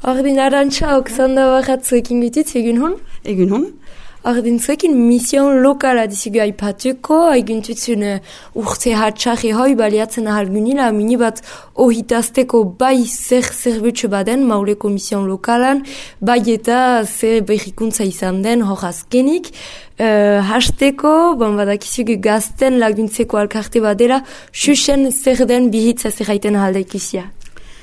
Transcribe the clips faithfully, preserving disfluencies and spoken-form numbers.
Ordin Arantxa, Oksanda Barratzuekin gititz, egun hon? Egun hon. Ordin zuekin mission lokala dizugu aipatuko, aiguntutzun uh, urte hatxarri hoi baliatzen ahalgunila, minibat ohitazteko bai zer zerbutsu baden mauleko mission lokalan, bai eta zer berrikuntza izan den hor azkenik. Uh, hasteko, bon, badakizugu gazten laguntzeko alkarte badela, xuxen zer den bihitza zerraiten ahaldaikizia.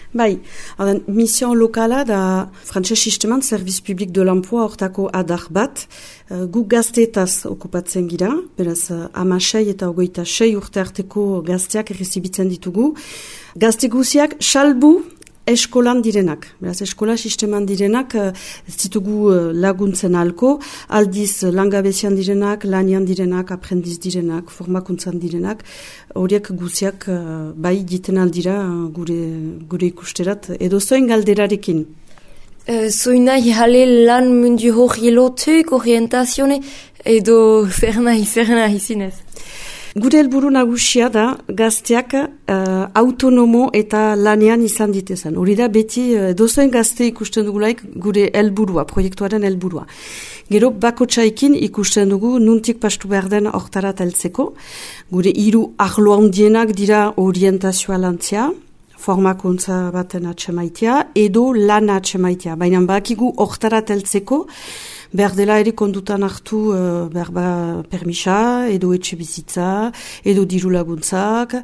Bai, adan, mission lokala da frantses sisteman Service Public de l'Emploi hortako adar bat, uh, gu gazteetaz okupatzen gira, beraz uh, amasei eta ogoita sei urte arteko gazteak errezibitzen ditugu. Gazte guziak salbu eskolan direnak, beraz eskola sisteman direnak uh, ez ditugu uh, laguntzen alko, aldiz uh, langabezian direnak, lanian direnak, aprendiz direnak, formakuntzan direnak, horiek guziak uh, bai diten aldira uh, gure, gure ikusterat, edo zoin galderarekin. Uh, Zoina jale lan mundu hori lotuik, orientazione, edo zer nahi, zer nahi zinez? Gure helburu nagusia da gazteak uh, autonomo eta lanean izan ditezen. Hori da beti uh, dozoen gazte ikusten dugulaik gure helburua, proiektuaren helburua. Gero bakotxaikin ikusten dugu nuntik pastu behar den hortarat heltzeko. Gure hiru arlo handienak dira orientazioa lantzea, formakuntza baten atxemaitea, edo lana atxemaitea. Baina bakigu hortarat heltzeko, behar dela ere kondutan hartu uh, behar ba permisa, edo etxe bizitza, edo diru laguntzak,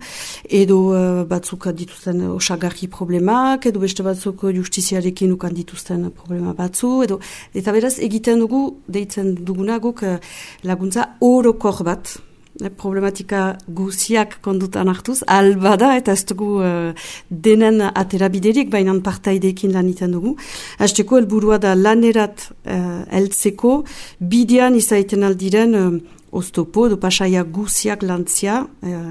edo uh, batzuk dituzten osagarri problemak, edo beste batzuk justiziarekin ukan dituzten problema batzu, edo eta beraz egiten dugu, deitzen duguna guk uh, laguntza orokor bat, problematika guziak kondutan hartuz, albada eta ez dugu uh, denen aterabiderik, baina partaideekin lan iten dugu. Hasteko helburua da lanerat uh, heltzeko, bidean izaiten aldiren uh, oztopo edo pasaia guziak lantzia uh,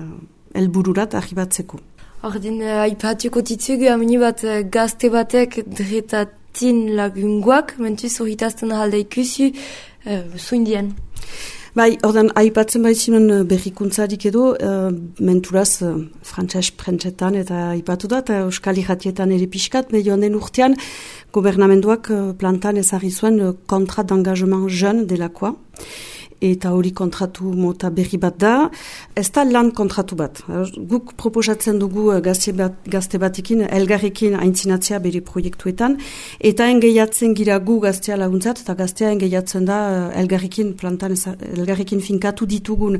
helbururat arribatzeko. Ordin, uh, aipatuko ditugu, amini bat uh, gazte batek dretatin lagunguak, mentuz horritazten ahalda ikusi, uh, zuindien. Bai, ordan, aipatzen baizinon berrikuntzarik edo, uh, menturaz uh, frantses prentsetan eta aipatu da, eta euskal irratietan ere pixkat, medioan den urtean, gobernamenduak uh, plantan ezarri zuen uh, kontrat d'engagement jeune delakoa, eta hori kontratu mota berri bat da, ez da lan kontratu bat. Guk proposatzen dugu gazte, bat, gazte batekin, elgarrekin aintzinatzea bere proiektuetan, eta engeiatzen gira gu gaztea laguntzat, eta gaztea engeiatzen da elgarrekin plantan, elgarrekin finkatu ditugun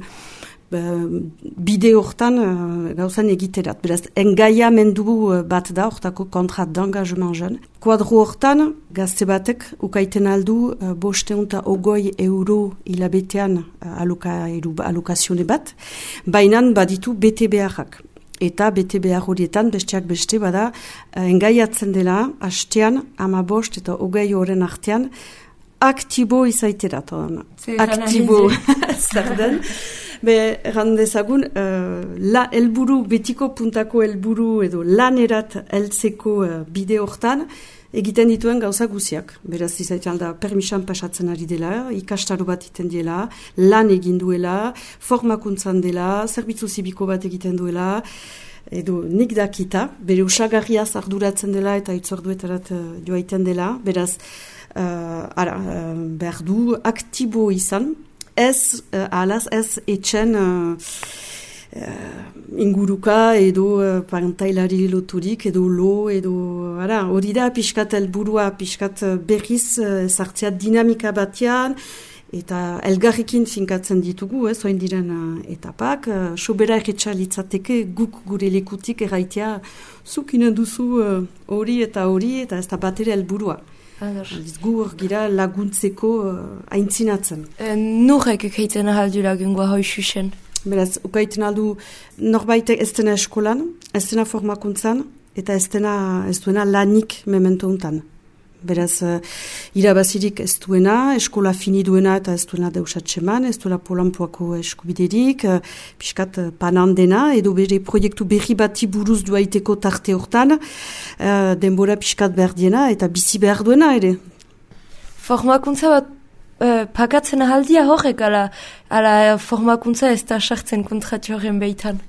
bide hortan uh, gauzan egiterat. Beraz, engaia mendugu bat da, hortako kontrat d'engagement jeune. Kuadro hortan, gazte batek ukaiten aldu uh, bosteunta ogoi euro hilabetean uh, aluka, alukazione bat, bainan baditu bete beharrak. Eta bete behar horietan, besteak beste bada, uh, engaiatzen dela, hastean, ama bost eta ogoi horren artean, aktibo izaiterat. Aktibo, zer den. Be, errandezagun, uh, la helburu, betiko puntako helburu edo lanerat heltzeko uh, bide hortan, egiten dituen gauza guziak. Beraz, izaitan da, permisan pasatzen ari dela, ikastaro bat iten dela, lan egin duela, formakuntzan dela, zerbitzu zibiko bat egiten duela, edo nik dakita, bere usagarriaz arduratzen dela eta itzorduetarat uh, joaiten dela, beraz, uh, ara, uh, behar du aktibo izan, ez, uh, alaz, ez etxen uh, uh, inguruka edo uh, pantailari loturik edo lo edo ara, hori da pixkat helburua, pixkat berriz uh, sartzea dinamika batean eta elgarrekin finkatzen ditugu, ez, oin diren uh, etapak, uh, sobera erretxa litzateke guk gure lekutik erraitea zuk inen duzu hori uh, eta hori eta ez da batera helburua. Gu hor gira laguntzeko uh, aintzinatzen. E, Norek ukaiten ahaldu lagungoa hoi xuxen? Beraz, ukaiten aldu norbaitek ez dena eskolan, ez dena formakuntzan, eta ez dena ez duena lanik memento untan. Beraz, uh, irabazirik ez duena, eskola fini duena eta ez duena deusatxeman, ez duela polanpoako eskubiderik, uh, piskat uh, panan dena, edo bere proiektu berri bati buruz duaiteko tarte hortan, uh, denbora piskat behar diena eta bizi behar duena ere. Formakuntza bat uh, pakatzen ahaldia horrek, ala, ala formakuntza ez da sartzen kontratu horren behitan?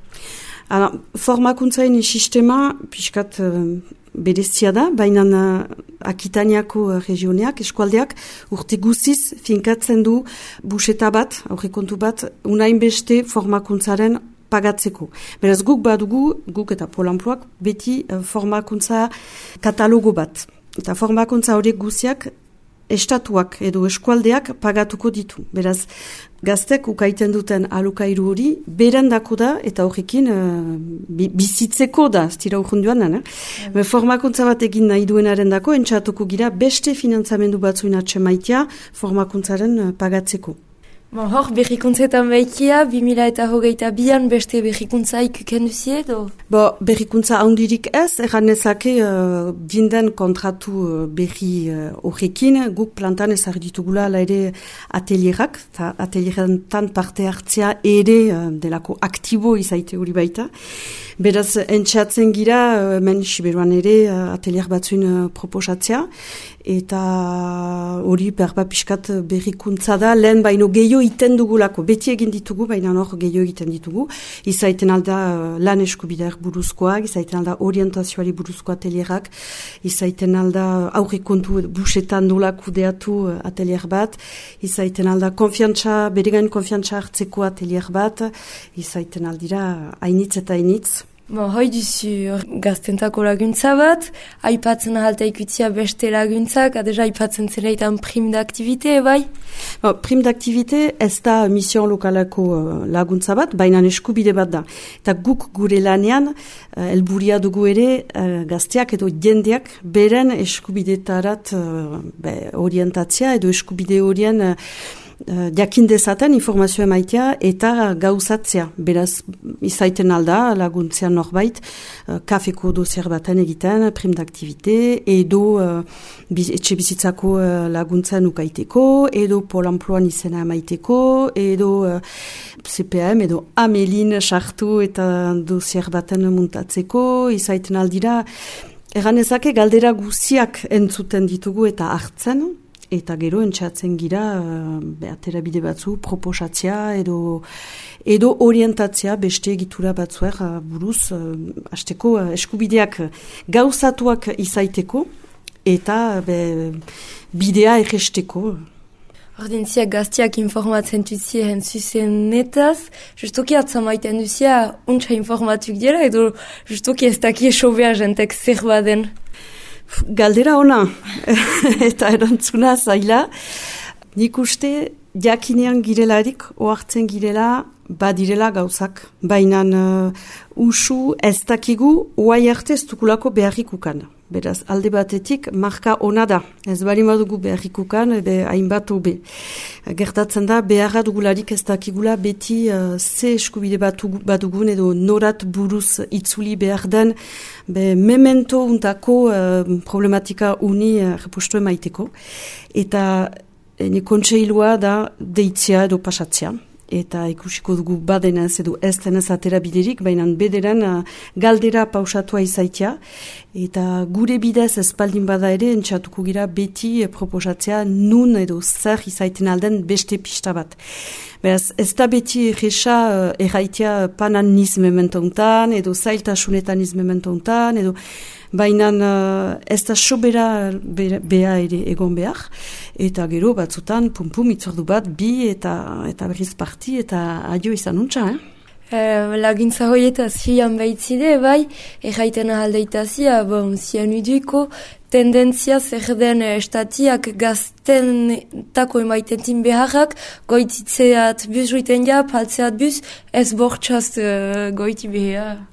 Formakuntzain sistema piskat... Uh, berezia da, baina uh, Akitaniako uh, regioneak, eskualdeak, urte guziz finkatzen du buseta bat, aurrekontu bat, unain beste formakuntzaren pagatzeko. Beraz guk badugu, guk eta Pol Enpluak, beti uh, formakuntza katalogo bat. Eta formakuntza horiek guziak estatuak edo eskualdeak pagatuko ditu. Beraz, gaztek ukaiten duten alokairu hori berendako da eta horrekin uh, bizitzeko da, ez dira urrunduan da. Eh? Formakuntza bat egin nahi duenaren dako, entxatuko gira beste finantzamendu batzuin atxemaitia formakuntzaren uh, pagatzeko. Bon, hor, berrikuntzetan behikia, bi mila eta hogeita bian beste berrikuntza ikuken duzie edo? Bo, berrikuntza handirik ez, erran ezake uh, dinden kontratu uh, berri horrekin, uh, guk plantan ezar ditugula la ere atelierak, eta atelierantan parte hartzea ere uh, delako aktibo izaite hori baita. Beraz, entxatzen gira, uh, men Siberuan ere uh, atelier batzuin uh, proposatzea, eta hori berba pixkat berrikuntza da, lehen baino gehiago iten dugulako, beti egin ditugu, baina hor gehiago egiten ditugu, izaiten alda uh, lan eskubideak buruzkoak, izaiten alda orientazioari buruzko atelierak, izaiten alda aurrekontu busetan nola kudeatu uh, atelier bat, izaiten alda konfiantza, beregain konfiantza hartzeko atelier bat, izaiten aldira hainitz eta hainitz. Bon, hoi duzu gaztentako laguntza bat, aipatzen ahalta ikutzia beste laguntzak, adeja aipatzen zeleitan prim d'activite, bai? Bon, prim d'activite ez da mission lokalako uh, laguntza bat, baina eskubide bat da. Eta guk gure lanean, uh, elburia dugu ere uh, gazteak edo jendeak beren eskubidetarat uh, be, orientatzea edo eskubide horien uh, Uh, jakin dezaten informazioa emaitea eta gauzatzea. Beraz, izaiten alda laguntzean norbait, uh, kafeko dozier baten egiten, prim d'activite, edo uh, biz, etxe bizitzako uh, laguntzen ukaiteko, edo Pol Enpluan izena emaiteko, edo uh, C P M, edo Amelin sartu eta dozier baten muntatzeko, izaiten aldira, erran ezake galdera guziak entzuten ditugu eta hartzen, eta gero entxatzen gira uh, atera bide batzu proposatzea edo edo orientatzea beste egitura batzuer uh, buruz uh, hasteko uh, eskubideak gauzatuak izaiteko eta be, bidea erresteko. Ordintzia gaztiak informatzen duzien zuzenetaz, justoki atzamaiten duzia untsa informatuk dira edo justoki ez daki esobea jentek zer baden? Galdera ona, eta erantzuna zaila. Nik uste jakinean girelarik, ohartzen girela, badirela gauzak. Baina uh, usu ez dakigu, oai arte ez dukulako beharrikukan. Beraz, alde batetik, marka ona da. Ez bali madugu beharrikukan, ebe hainbat hobe. Gertatzen da, beharra dugularik ez dakigula beti uh, ze eskubide badugun edo norat buruz itzuli behar den, be memento untako uh, problematika uni uh, repostu emaiteko. Eta ene kontseilua da deitzea edo pasatzea. Eta ikusiko dugu badenez edo ez denez atera biderik, baina bederen uh, galdera pausatua izaitia. Eta gure bidez espaldin bada ere, entxatuko gira beti eh, proposatzea nun edo zer izaiten alden beste pista bat. Beraz, ez da beti erresa uh, erraitea panan niz mementontan, edo zailtasunetan niz mementontan, edo baina uh, ez da sobera beha ere egon behar, eta gero batzutan pum-pum itzordu bat, bi eta, eta berriz parti, eta adio izan untsa, eh? Uh, lagintza hoietaz hian behitzide, bai, erraiten ahaldeitazia, bon, zian uduiko, tendentzia zer den estatiak gazten tako emaitentin beharrak, goititzeat buz ruiten ja, paltzeat buz, ez bortxaz uh, goiti behar.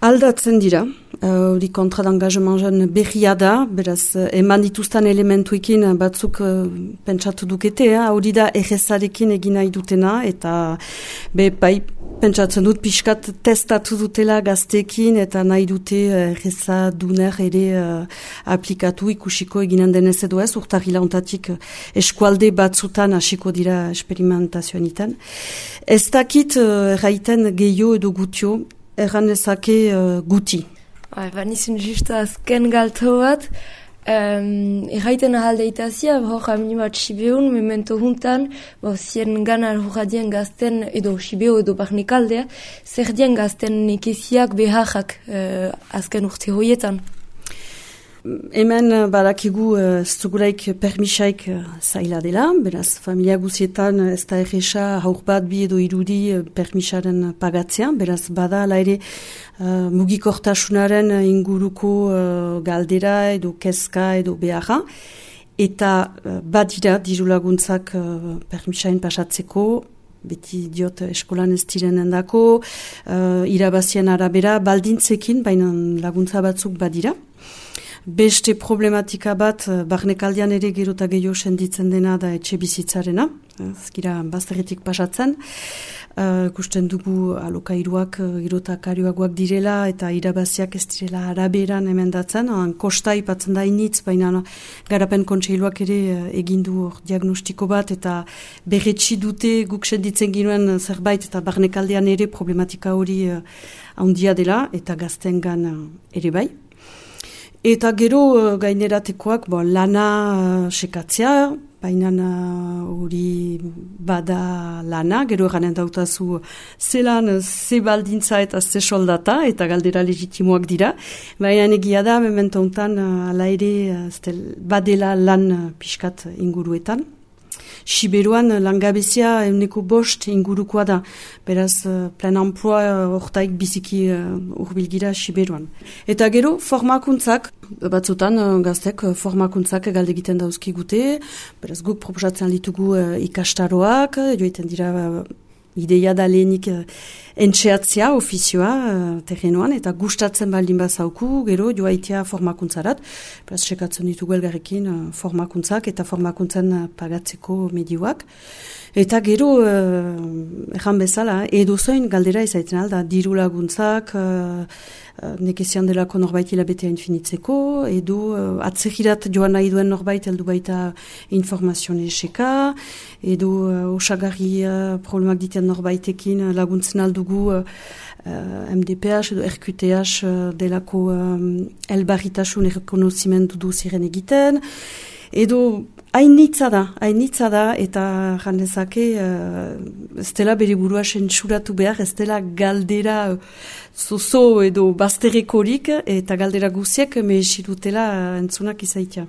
Aldatzen dira, hori uh, kontra d'engagement berria da, beraz, eman dituzten elementuekin batzuk uh, pentsatu dukete, hori da errezarekin egin nahi dutena, eta be, bai, pentsatzen dut pixkat testatu dutela gazteekin, eta nahi dute erreza duner ere uh, aplikatu ikusiko eginen denez edo ez, urtarrila ontatik eskualde batzutan hasiko dira experimentazioan iten. Ez dakit uh, erraiten gehiago edo gutio, erran ezake uh, guti. Ba, nizun justa azken galto bat, Um, Erraiten ahaldeitazia, hor amini bat Sibeun, memento juntan, bo, zien gana horradien gazten, edo Sibeo edo barnikaldea, zer dien gazten nekeziak beharrak uh, azken urte hoietan. Hemen badakigu ez dugulaik permisaik zaila dela, beraz familia guzietan ez da erresa haur bat bi edo irudi permisaren pagatzea, beraz bada ala ere uh, mugikortasunaren inguruko uh, galdera edo kezka edo beharra, eta uh, badira diru laguntzak uh, permisain pasatzeko, beti diot eskolan ez direnen dako, uh, irabazien arabera baldintzekin, baina laguntza batzuk badira. Beste problematika bat, barnekaldian ere gero eta gehiago senditzen dena da etxe bizitzarena, ez gira bazterretik pasatzen. Uh, Gusten dugu alokairuak gero eta karioagoak direla eta irabaziak ez direla araberan emendatzen. Kosta ipatzen da initz, baina garapen kontseiluak ere egindu hor diagnostiko bat eta berretsi dute guk senditzen ginuen zerbait eta barnekaldian ere problematika hori uh, handia dela eta gaztengan uh, ere bai. Eta gero uh, gaineratekoak bo, lana uh, sekatzea, baina hori uh, bada lana, gero eganen dautazu zelan, ze baldintza eta ze soldata, eta galdera legitimoak dira. Baina egia da, memento hontan uh, ala ere uh, badela lan uh, pixkat inguruetan. Siberuan langabezia euneko bost ingurukoa da, beraz uh, plan emploi hortaik uh, biziki uh, urbilgira Siberuan. Eta gero formakuntzak, batzutan uh, gaztek uh, formakuntzak galde egiten dauzkigute, beraz guk proposatzen ditugu uh, ikastaroak, joiten dira uh, ideia da lehenik uh, entxeatzea ofizioa uh, terrenoan, eta gustatzen baldin bazauku, gero joaitea formakuntzarat, beraz sekatzen ditugu elgarrekin uh, formakuntzak eta formakuntzan uh, pagatzeko medioak. Eta gero, uh, erran bezala, edo zoin galdera izaiten alda, diru laguntzak, uh, uh, nekezian delako norbait hilabetea infinitzeko, edo uh, atzegirat joan nahi duen norbait heldu baita informazione eseka, edo uh, osagarri uh, problemak diten norbaitekin laguntzen aldugu uh, M D P H edo R Q T H uh, delako um, elbarritasun errekonozimendu du ziren egiten, edo hainitza da, hainitza da, eta jandezake uh, ez dela bere burua sentsuratu behar, ez dela galdera zozo edo bazterrekorik, eta galdera guziak mehesirutela entzunak izaitia.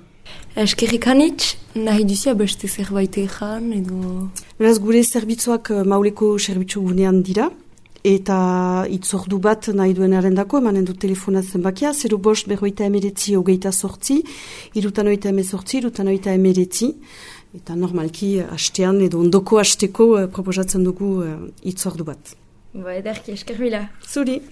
Eskerrik anitz, nahi duzia beste zerbait ezan, edo... Beraz, gure zerbitzuak Mauleko zerbitzu gunean dira, eta itzordu bat nahi duenaren dako, emanen du telefonatzen bakia, zero bost berroita emeretzi hogeita sortzi, irutan oita emezortzi, irutan oita emeretzi, eta normalki hastean edo ondoko hasteko proposatzen dugu itzordu bat. Ba, ederki, esker mila. Zuri.